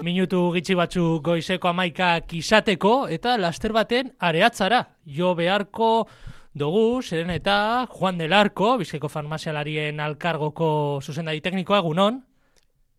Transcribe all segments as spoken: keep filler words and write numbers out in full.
minutu gitxi batzu goizeko amaikak izateko, eta laster baten areatzara. Jo beharko dugu, zeren eta Juan del Arco, Bizkaiko farmazialarien alkargoko zuzendari teknikoa, egunon.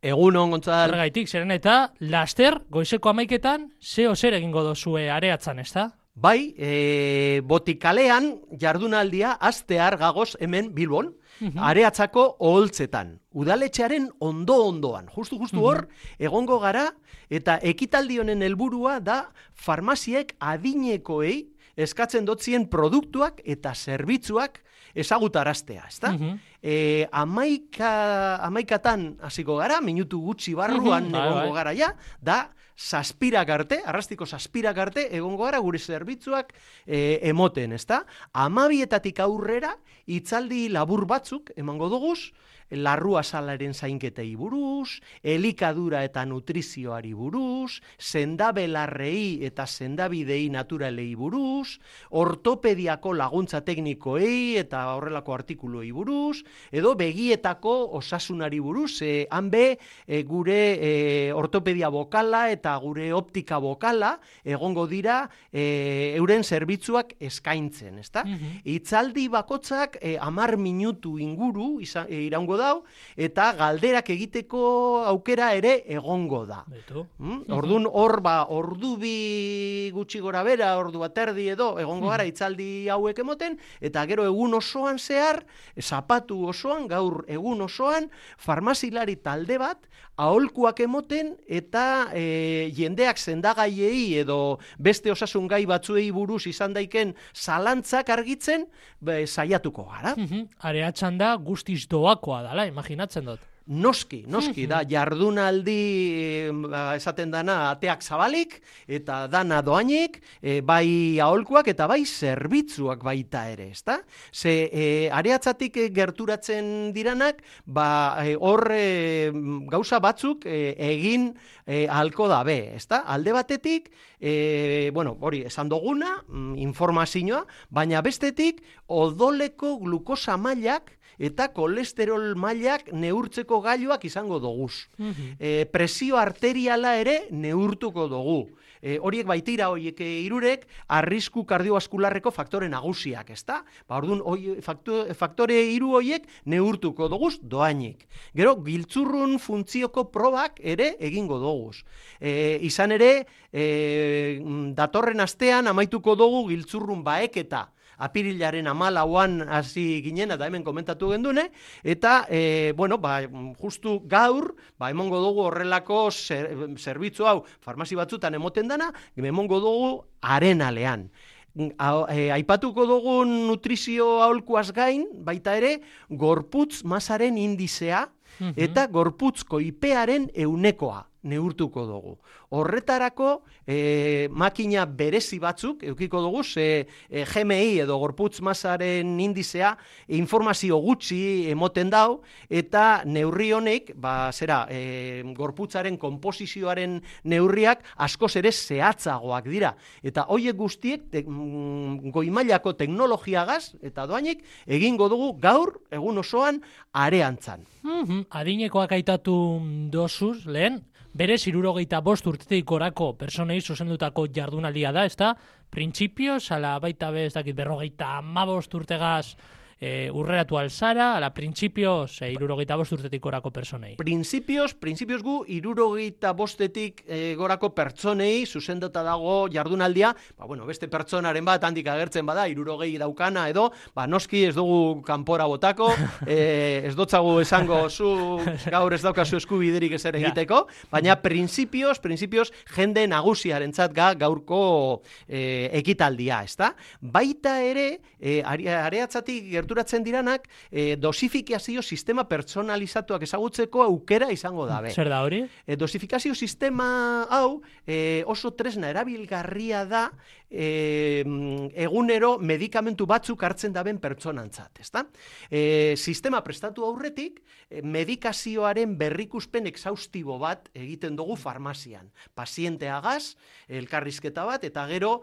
Egunon, Gontzal. Horregaitik, zeren eta laster goizeko amaiketan zeo zer egingo dozue areatzan, ezta? Bai, e, botikalean jardunaldia astear gagoz hemen Bilbon, uh-huh. areatzako oholtzetan. Udaletxearen ondo-ondoan. Justu-justu hor, uh-huh. egongo gara, eta ekitaldi honen helburua da farmaziek adinekoei eskatzen dotzien produktuak eta zerbitzuak ezagutaraztea, ezta? Uh-huh. E, amaika, amaikatan hasiko gara, minutu gutxi barruan uh-huh. egongo gara ja, da zazpirak arte, arrastiko zazpirak arte, egongo gara gure zerbitzuak e, emoten, ezta? Amabietatik aurrera, hitzaldi labur batzuk, emango duguz, larrua salaren zainketei buruz, elikadura eta nutrizioari buruz, sendabelarrei eta sendabidei naturalei buruz, ortopediako laguntza teknikoei eta horrelako artikuluei buruz, edo begietako osasunari buruz, e, hanbe e, gure e, ortopedia bokala eta gure optika bokala egongo dira e, euren zerbitzuak eskaintzen, ezta? Mm-hmm. Hitzaldi bakotzak e, amar minutu inguru izan, e, iraungo dau, eta galderak egiteko aukera ere egongo da. Mm? Ordun hor ba, ordu bi gutxi gora bera, ordu bat erdi edo, egongo gara hitzaldi hauek emoten, eta gero egun osoan zehar, zapatu osoan, gaur egun osoan, farmazilari talde bat, aholkuak emoten, eta e, jendeak sendagaiei edo beste osasun gai batzuei buruz izan daiken zalantzak argitzen, be, saiatuko gara. Areatzan da guztiz doakoa dala, imaginatzen dut. Noski, noski, da jardunaldi esaten dana ateak zabalik, eta dana doainik, e, bai aholkuak eta bai zerbitzuak baita ere, ezta? Ze e, areatzatik gerturatzen diranak, ba hor e, gauza batzuk e, egin e, ahalko da be, ezta? Alde batetik, e, bueno, hori esan duguna, informazioa, baina bestetik odoleko glukosa mailak eta kolesterol mailak neurtzeko gailuak izango doguz. Uh-huh. E, presio arteriala ere neurtuko dugu. E, horiek baitira, horiek hirurek arrisku kardiovaskularreko faktore nagusiak, ezta? Ba, orduan, oi, faktore, faktore hiru horiek neurtuko doguz doainik. Gero, giltzurrun funtzioko probak ere egingo doguz. E, izan ere, e, datorren astean amaituko dugu giltzurrun baeketa. Apirilaren amalauan hasi ginen, eta hemen komentatu gendune, eta, e, bueno, ba, justu gaur, ba, emongo dugu horrelako zer, zerbitzu hau farmazi batzutan emoten dana, emongo dugu arenalean. A, e, aipatuko dugun nutrizio aholkuaz gain, baita ere, gorputz masaren indizea, eta gorputz koipearen eunekoa neurtuko dugu. Horretarako e, makina berezi batzuk eukiko dugu, ze e, G M I edo gorputz masaren indizea informazio gutxi emoten dau, eta neurri honek, ba, zera, e, gorputzaren konposizioaren neurriak askoz ere zehatzagoak dira. Eta hoiek guztiek te, mm, goimailako teknologiagaz eta doainik egingo dugu gaur egun osoan areantzan. Mm-hmm. Adinekoak aitatu dozuz, lehen, berez hirurogeita bost urtetik gorako personei zuzendutako jardunaldia da, ezta? Printzipioz, ala baita be, ez dakit, berrogeita hamabost urtegaz e, urreratu alzara, ala printzipioz, e, hirurogeita bost urtetik gorako personei. Printzipioz, printzipioz gu, hirurogeita bostetik e, gorako pertsonei zuzenduta dago jardunaldia, ba, bueno, beste pertsonaren bat handik agertzen bada, hirurogei daukana edo, ba, noski ez dugu kanpora botako, e, ez dotzagu esango zu gaur ez daukazu eskubiderik ezer egiteko, baina printzipioz, printzipioz jende nagusiarentzat ga gaurko e, ekitaldia, ezta? Baita ere, e, areatzatik gerturatzen diranak, e, dosifikazio sistema pertsonalizatuak ezagutzeko aukera izango dabe. Zer da hori? E, dosifikazio sistema hau e, oso tresna erabilgarria da e, egunero medikamentu batzuk hartzen daben pertsonantzat, ezta? E, sistema prestatu aurretik, medikazioaren berrikuspen exhaustibo bat egiten dugu farmazian. Pazienteagaz, elkarrizketa bat, eta gero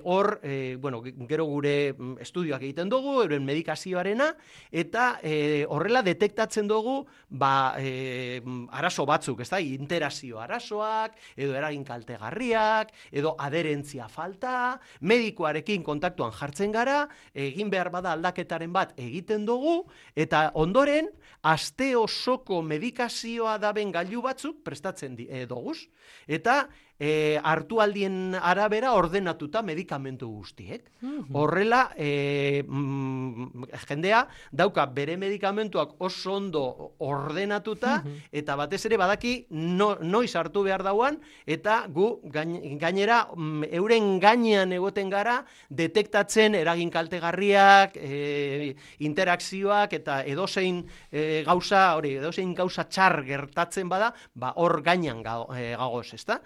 hor, e, bueno, gero gure estudioak egiten dugu, euren medikazioarena, eta e, horrela detektatzen dugu ba, e, arazo batzuk, ezta? Interazio arazoak, edo eragin kaltegarriak, edo aderentzia falta, medikoarekin kontaktuan jartzen gara, egin behar bada aldaketaren bat egiten dugu, eta ondoren, aste osoko medikazioa daben gailu batzuk prestatzen di, e, doguz, eta e, hartu aldien arabera ordenatuta medikamentu guztiek. Mm-hmm. Horrela, e, mm, jendea dauka bere medikamentuak oso ondo ordenatuta, mm-hmm. eta batez ere badaki no, noiz hartu behar dauan, eta gu gainera mm, euren gainean egoten gara detektatzen eragin kaltegarriak, e, interakzioak, eta edozein e, gauza, hori, edozein gauza txar gertatzen bada, ba hor gainean gagoz, ezta?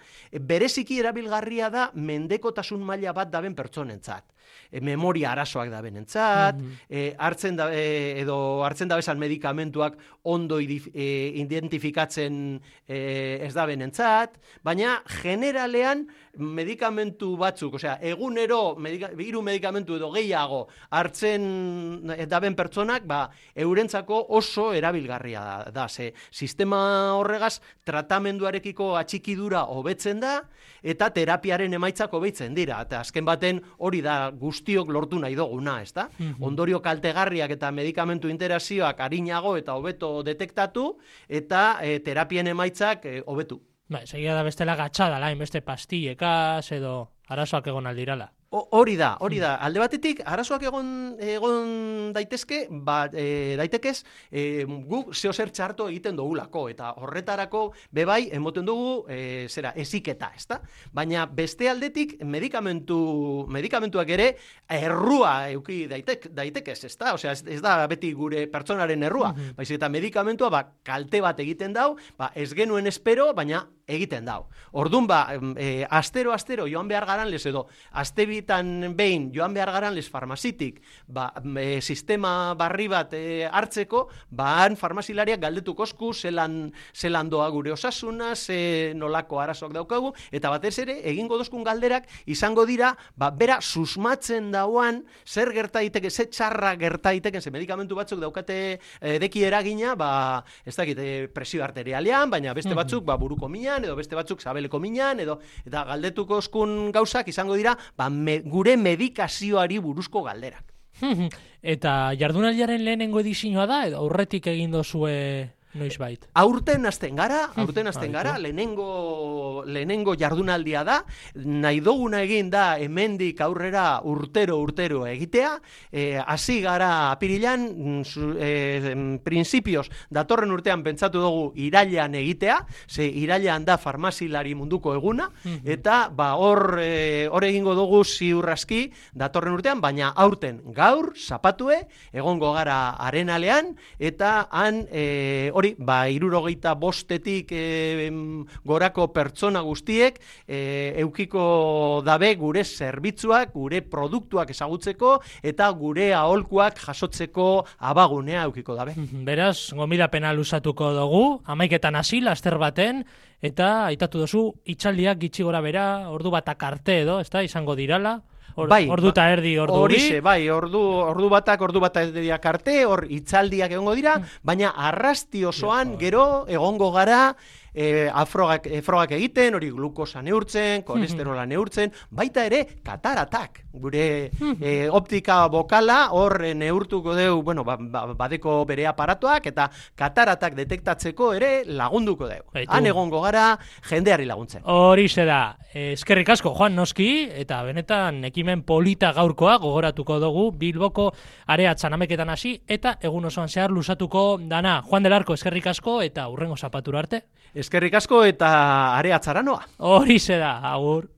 Bereziki erabilgarria da mendekotasun maila bat daben pertsonentzat. E, memoria arazoak da benentzat, mm-hmm. e, hartzen da, e, edo hartzen da bezan medikamentuak ondo idif, e, identifikatzen e, ez da benentzat, baina generalean medikamentu batzuk, osea, egunero medika, hiru medikamentu edo gehiago hartzen daben pertsonak, ba, eurentzako oso erabilgarria da, da. Ze, sistema horregaz tratamenduarekiko atxikidura hobetzen da, eta terapiaren emaitzak hobetzen dira, eta azken baten hori da guztiok lortu nahi duguna, ezta? Mm-hmm. Ondorio kaltegarriak eta medikamentu interazioak arinago eta hobeto detektatu, eta e, terapien emaitzak e, hobetu. Ba, segia da bestela gatxadala, inbeste pastillekaz edo arazoak egon aldirala. Hori da, hori da. Alde batetik, arazoak egon, egon daitezke, ba, e, daitekez, e, guk zeo zer txarto egiten dugulako, eta horretarako bebai emoten dugu, e, zera, eziketa, ezta? Baina beste aldetik, medikamentu, medikamentuak ere, errua euki daitek, daitekez, ezta? Osea, ez, ez da beti gure pertsonaren errua, mm-hmm. baizik eta medikamentua, ba, kalte bat egiten dau, ba, ez genuen espero, baina egiten dau. Ordun ba, e, astero, astero, joan behar garan lez edo, aste bitan behin joan behar garan lez farmazitik, ba, e, sistema barri bat e, hartzeko, ba, han farmazilariak galdetuk osku, zelan, zelan doa gure osasuna, ze nolako arazoak daukagu, eta batez ere, egingo dozkun galderak, izango dira, ba, bera susmatzen dauan, zer gerta daiteke, ze txarra gerta daiteke, ze medikamentu batzuk daukate e, deki eragina, ba, ez dakit, e, presio arterialean, baina beste batzuk, ba, buruko mina, edo beste batzuk sabeleko minan, edo eta galdetuko oskun gauzak izango dira, ba, me, gure medikazioari buruzko galderak. Eta jardunaldiaren lehenengo edizioa da, edo aurretik egin dozue noizbait? Aurten hasten gara, aurten hasten gara, lehenengo, lehenengo jardunaldia da, nahi duguna egin da hemendik aurrera urtero urtero egitea, hasi e, gara apirilan, e, prinsipioz datorren urtean pentsatu dugu irailean egitea, ze irailean da farmazilari munduko eguna, eta ba hor e, hor egingo dugu ziurraski datorren urtean, baina aurten gaur, zapatue, egongo gara arenalean, eta han e, hori ba, hirurogeita bostetik e, gorako pertsona guztiek e, eukiko dabe gure zerbitzuak, gure produktuak ezagutzeko eta gure aholkuak jasotzeko abagunea eukiko dabe. Beraz, gomidapena luzatuko dugu, hamaiketan hasi laster baten, eta aitatu duzu, itxaldiak gitxi gora bera, ordu batak arte edo, ez da, izango dirala. Or, bai, ordu eta erdi ordu horixe, bai, ordu, ordu batak, ordu batak erdiak arte, hor itzaldiak egongo dira, baina arrasti osoan gero egongo gara e, afrogak, frogak egiten, hori glukosa neurtzen, kolesterola neurtzen, baita ere kataratak, gure e, optika bokala hor neurtuko deu, bueno, ba, ba, badeko bere aparatuak, eta kataratak detektatzeko ere lagunduko deu. Han egongo gara jendeari laguntzen. Horixe da, eskerrik asko Juan noski, eta benetan ekimen polita gaurkoa gogoratuko dugu Bilboko areatzan ameketan hasi, eta egun osoan zehar luzatuko dana. Juan del Arco, eskerrik asko, eta hurrengo zapatura arte. Eskerrik asko eta areatzara noa. Horixe da, agur.